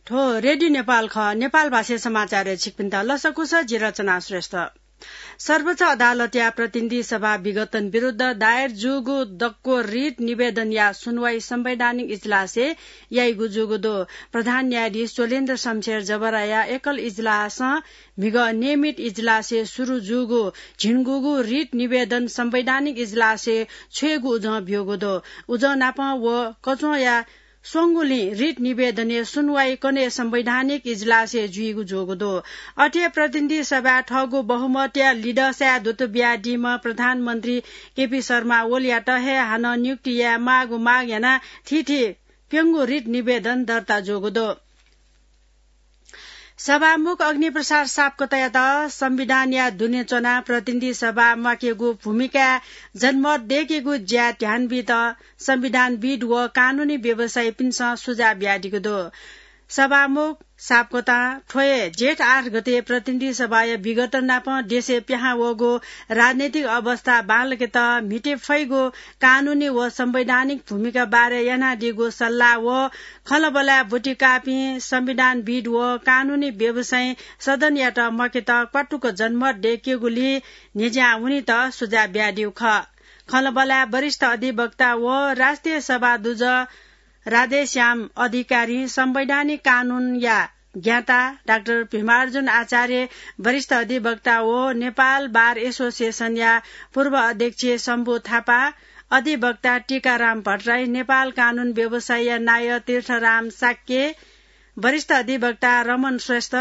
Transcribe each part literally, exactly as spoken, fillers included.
थ्व रेडियो नेपाल खः। नेपाल भाषाय् समाचारय् छिकपिन्त लसकुस, जि रचना श्रेष्ठ। सर्वोच्च अदालतया प्रतिनिधि सभा विघटन विरुद्ध दायर जूगु दक्व रिट निवेदनया सुनवाई संवैधानिक इजलासय् याइगु जूगु दु। प्रधान न्यायाधीश चोलेन्द्र शमशेर जबराया एकल इजलासं म्हिगः नियमित इजलासय् सुरु जूगु झिंगूगु रिट निवेदन संवैधानिक इजलासय् छ्वयेगु उजं ब्यूगु दु। उजं नापं व कच्वंया स्वंगुलिं रिट निवेदनय् सुनवाई कन्हय् संवैधानिक इजलासय् जुइगु जूगु दु। अथे प्रतिनिधि सभाय् थःगु बहुमतया लिडसाय् दुत बियादीम्ह प्रधानमन्त्री केपी शर्मा ओलीयात हे हानं नियुक्ति याये माःगु माग यानाः थीथी प्यंगू रिट निवेदन दर्ता जूगु दु। सभामुख अग्निप्रसाद सापकोटायात संविधानया दुने च्वनाः प्रतिनिधि सभा म्वाकेगु भूमिकाय् जनमत दय्केगु ज्याय् ध्यान बीत संविधानविद व कानूनी व्यवसायीपिन्सं सुझाव बियादीगु दु। सभामुख सापकोटां थ्व हे जेठ आठ गते प्रतिनिधि सभाया विघटन नाप देशय् पिहां वःगु राजनैतिक अवस्था बांलाकेत म्हिते फइगु कानूनी व संवैधानिक भूमिका बारे यानादीगु सल्लाह व खँल्हाबल्हाय् ब्वति काःपिं संविधानविद व कानूनी व्यवसायी सदनयात म्वाकेत क्वातुक जनमत दय्केगुली न्ह्यज्यां वनेत सुझाव बियादीगु खः। खँल्हाबल्हाय् वरिष्ठ अधिवक्ता व राष्ट्रिय सभा दुजः राधेश्याम अधिकारीं संवैधानिक कानूनया ज्ञाता डाक्टर भीमार्जुन आचार्य, वरिष्ठ अधिवक्ता व नेपाल बार एसोसिएसनया पूर्व अध्यक्ष शम्भु थापा, अधिवक्ता टीकाराम भट्टराई, नेपाल कानून व्यवसायीया नायः तीर्थराम शाक्य, वरिष्ठ अधिवक्ता रमण श्रेष्ठ,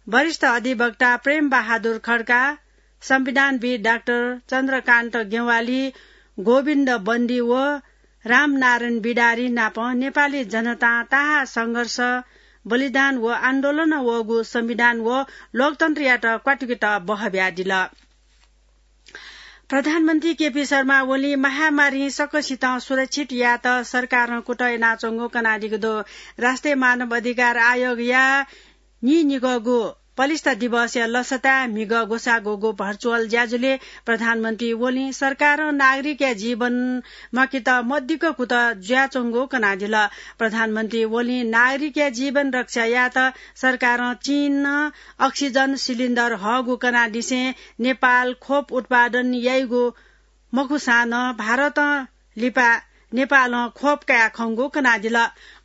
वरिष्ठ अधिवक्ता प्रेम बहादुर खड्का, संविधानविद डाक्टर चन्द्रकान्त ज्ञवाली, गोविन्द बन्दी व रामनारायण बिडारी नाप नेपाली जनतां ताहाः संघर्ष, बलिदान व आन्दोलनं वःगु संविधान व लोकतन्त्रयात क्वातुकेत बहः बियादिल। प्रधानमन्त्री केपी शर्मा ओलीं महामारीं सकसितं सुरक्षित यायेत सरकारं कुतः यानाच्वंगु कनादीगु दु। राष्ट्रिय मानव अधिकार आयोगया नीनिगःगु पलिस्था दिवसया लसताय् म्हिगः ग्वसाः ग्वःगु भर्चुअल ज्याझ्वलय् प्रधानमन्त्री ओलीं सरकारं नागरिकया जीवन म्वाकेत मदिक्क कुतः जुयाच्वंगु कनादिल। प्रधानमन्त्री ओलीं नागरिकया जीवन रक्षा यायेत सरकारं चीनं अक्सिजन सिलिन्डर हःगु कनादिसें नेपाल खोप उत्पादन याइगु मखुसां नं भारतं लिपा नेपालं खोप कयाः खंगु कनादिल।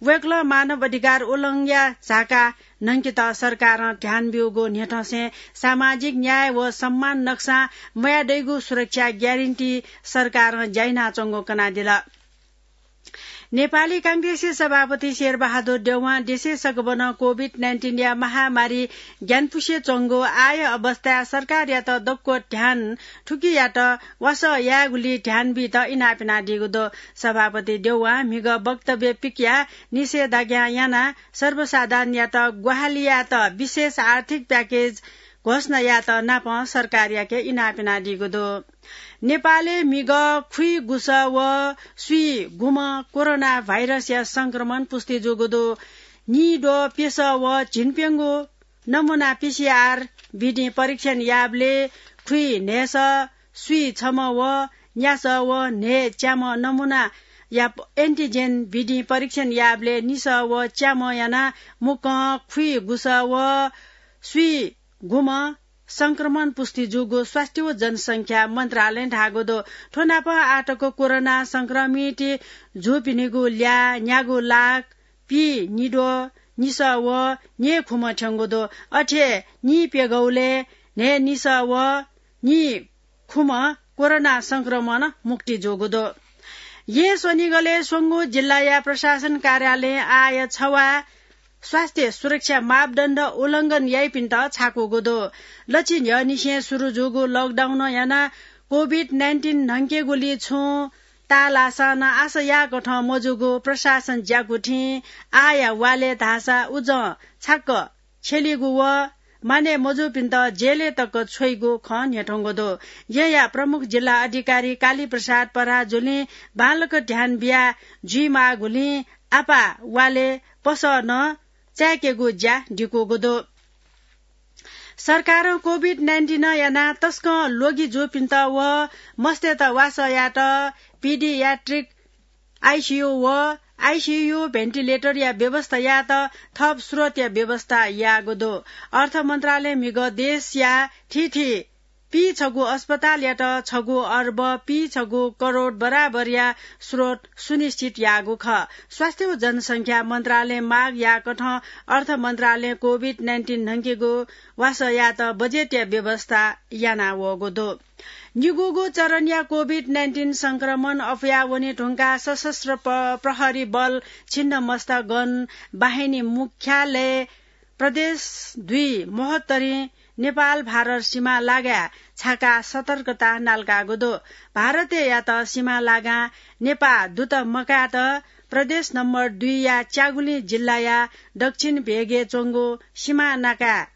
वय्कलं मानव अधिकार उल्लंघनया झाका न्हंकेत सरकारं ध्यान ब्यूगु न्ह्यथंसें सामाजिक न्याय व सम्मान नक्सां मयादइगु सुरक्षा ग्यारेन्टी सरकारं ज्या यानाच्वंगु कनादिल। नेपाली कांग्रेसया सभापति शेरबहादुर देउवां देशय् सकभनं कोभिड नाइन्टिनया महामारी ग्यानापुसे च्वंगु आःया अवस्थाय् सरकारयात दक्व ध्यान थुकियात वासः यायेगुली ध्यान बीत इनाप यानादीगु दु। सभापति देउवां म्हिगः वक्तव्य पिकयाः निषेधाज्ञा यानाः सर्वसाधारणयात ग्वाहालि यायेत विशेष आर्थिक प्याकेज घोषणा यायेत नापं सरकारयाके इनाप यानादीगु दु। नेपालय् म्हिगः खुइगुसः व स्वीगुम्ह कोरोना भाइरसया संक्रमण पुष्टि जूगु दु। निद्वः प्यसः व झिंप्यंगू नमुना पिसिआर विधिं परीक्षण याःबलय् खुइन्हय्सः, स्वीछम्ह व न्यासः व न्हय्च्याम्ह नमुनाया एन्टिजेन विधिं परीक्षण याःबलय् निसः व च्याम्ह यानाः मुक्कं खुइगुसः व स्वीगुम्ह संक्रमण पुष्टि जूगु स्वास्थ्य व जनसंख्या मन्त्रालयं धाःगु दु। थ्व नाप आःतक कोरोना संक्रमित जूपिनिगु ल्याः न्यागू लाख पीनिद्वः निसः व न्हय्खुम्ह थ्यंगु दु। अथे निप्यघौलय् न्हय्निसः व निखुम्ह कोरोना संक्रमण मुक्ति जूगु दु। येँ स्वनिगलय् स्वंगू जिल्लाया प्रशासन कार्यालयं आःया छवाः स्वास्थ्य सुरक्षा मापदण्ड उल्लंघन याइपिन्त छाकूगु दु। लछि न्ह्यःनिसें सुरु जूगु लकडाउनं यानाः कोभिड नाइन्टिन न्हंकेगुली छुं ताःलाःसां नं आशा याःकथं मजूगु प्रशासन ज्याकू थें आःया वालय् धाःसा उजं छाक्क छ्यलीगु व मानय् मजूपिन्त जेलय् तक छ्वइगु खँ न्ह्यथंगु दु। येँया प्रमुख जिल्ला अधिकारी कालीप्रसाद पराजुलीं बांलाक ध्यान बिया जुइमाःगुलिं आपाः वालय् पसः नं चाय्केगु ज्या दिकूगु दु। सरकारं कोभिड नाइन्टिन यानाः तसकं ल्वगि जूपिन्त व मस्तय्त वासः यायेत पिडियाट्रिक आइसियु व आइसियु भेन्टिलेटरया व्यवस्था यायेत थप स्रोतया व्यवस्था याःगु दु। अर्थ मन्त्रालय म्हिगः देशया थीथी पीछगू अस्पतालयात छगू अर्ब पीछगू करोड बराबरया स्रोत सुनिश्चित याःगु खः। स्वास्थ्य व जनसंख्या मन्त्रालय माग याकथं अर्थ मन्त्रालय कोभिड नाइन्टिन न्हंकेगु वासः यायेत बजेटया व्यवस्था याना वःगु दु। निगूगु चरणया कोभिड नाइन्टिन संक्रमण अफया वने धुंकाः सशस्त्र प-, प्रहरी बल छिन्नमस्ता गन बाहिनी मुख्यालय प्रदेश दुई महोत्तरी नेपाल भारत सीमा लागाय् छाकाः सतर्कता नालाकागु दु। भारतय् यात सीमा लागां नेपाः दुत मकायेत प्रदेश नम्बर दुईया च्यागुलिं जिल्लाया दक्षिण भेगय् च्वंगु सीमा नाकाय्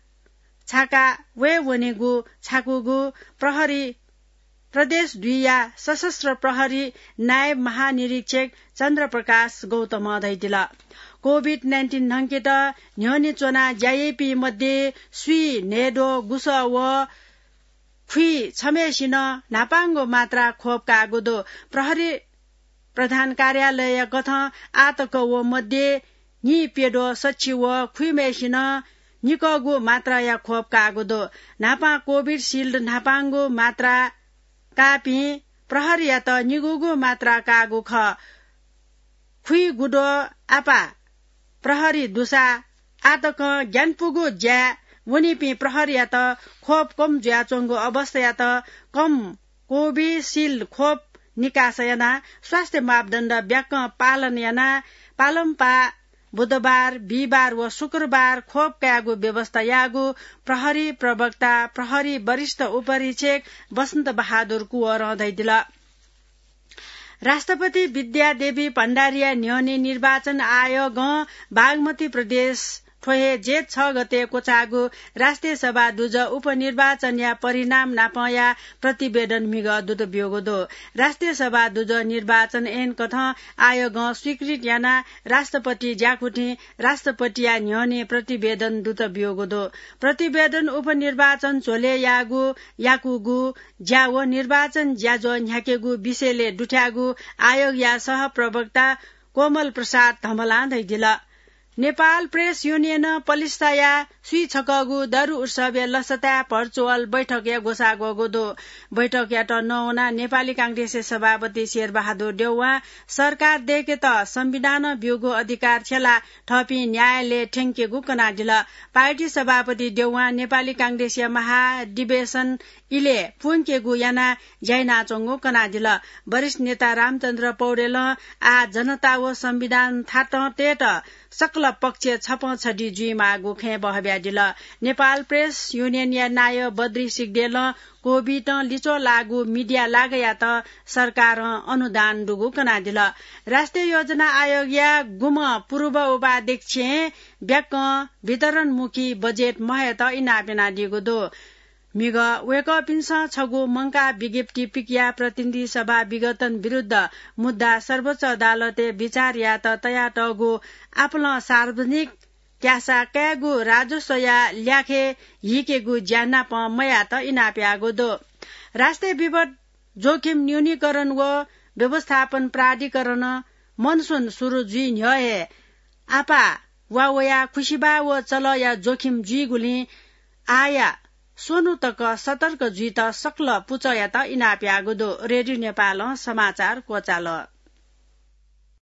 छाका वये वनेगु छाकूगु प्रहरी प्रदेश दुईया सशस्त्र प्रहरी नायब महानिरीक्षक चन्द्रप्रकाश गौतमं धयादिल। कोभिड नाइन्टिन न्हंकेत न्ह्यःने च्वनाः ज्या याइपिं मध्ये स्वीन्हय्द्वः गुसः व खुइछम्हेसिनं न्हापांगु मात्रा खोप काःगु दु। प्रहरी प्रधान कार्यालयया कथं आःतक व मध्ये नीप्यद्वः सछि व खुइम्हेसिनं निकःगु मात्राया खोप काःगु दु। न्हापां कोभिसिल्ड न्हापांगु मात्रा काःपिं प्रहरीयात निगूगु मात्रा काःगु खः। खुइगुद्वः आपाः प्रहरी दुसा आःतकं ग्यानापुगु ज्याय् वनीपिं प्रहरीयात खोप कम जुयाच्वंगु अवस्थायात कम कोभिसिल्ड खोप निकास यानाः स्वास्थ्य मापदण्ड ब्याकं पालन यानाः पालंपाः बुधबार, बिहिबार व शुक्रबार खोप कायेगु व्यवस्था याःगु प्रहरी प्रवक्ता प्रहरी वरिष्ठ उपरीक्षक बसन्त बहादुर कुँवरं धयादिल। राष्ट्रपति विद्यादेवी भण्डारीया न्ह्यःने निर्वाचन आयोगं बागमती प्रदेश थ्व हे जेठ छ गते क्वचाःगु राष्ट्रिय सभा दुजः उपनिर्वाचनया परिणाम नापंया प्रतिवेदन म्हिगः दुत ब्यूगु दु। राष्ट्रिय सभा दुजः निर्वाचन ऐन कथं आयोगं स्वीकृत यानाः राष्ट्रपति ज्याकुथिं राष्ट्रपतिया न्ह्यःने प्रतिवेदन दुत ब्यूगु दु। प्रतिवेदन उपनिर्वाचन झ्वलय् याःगु, याकूगु ज्या व निर्वाचन ज्याझ्वः न्ह्याकेगु विषयलय् दुथ्याःगु आयोगया सहप्रवक्ता कोमल प्रसाद धमलां धयादिल। नेपाल प्रेस युनियनं पलिस्ताया स्वीछकःगु दरु उत्सवया लसताय् भर्चुअल बैठकया ग्वसाः ग्वःगु दु। बैठकयात नवानाः नेपाली कांग्रेसया सभापति शेरबहादुर देउवां सरकार दय्केत संविधानं ब्यूगु अधिकार छ्यलाः थःपिं न्यायालयय् थ्यंकेगु कनादिल। पार्टी सभापति देउवां नेपाली कांग्रेसया महाधिवेशन इलय् प्वंकेगु यानाः ज्या यानाच्वंगु कनादिल। वरिष्ठ नेता रामचन्द्र पौडेलं आः जनता व संविधान थातं तयेत सकल पक्ष छपं छधी जुइमाःगु खँय् बहब्यादिल। नेपाल प्रेस युनियनया नायः बद्री सिग्देलं कोभिडं लिच्वः लाःगु मिडिया लागायात सरकारं अनुदान दुगु कनादिल। राष्ट्रिय योजना आयोगया गुम्ह पूर्व उपाध्यक्षं ब्याकं वितरणमुखी बजेट महयेत इनाप यानादीगु दु। म्हिगः वय्कःपिन्सं छगू मंकाः विज्ञप्ति पिकयाः प्रतिनिधि सभा विघटन विरुद्ध मुद्दा सर्वोच्च अदालतय् बिचार यायेत तयातःगु आपालं सार्वजनिक क्यासा कायेगु राजस्वया ल्याखय् हीकेगु ज्या नाप मयायेत इनाप याःगु दु। राष्ट्रिय विपद जोखिम न्यूनीकरण व व्यवस्थापन प्राधिकरणं मनसुन सुरु जुइ न्ह्यः हे आपाः वा वयाः खुसिबाः व चलःया जोखिम जुइगुलिं आःया स्वन्हु तक सतर्क जुइत सकल पुचःयात इनाप याःगु दु। रेडियो नेपालं समाचार क्वचाल।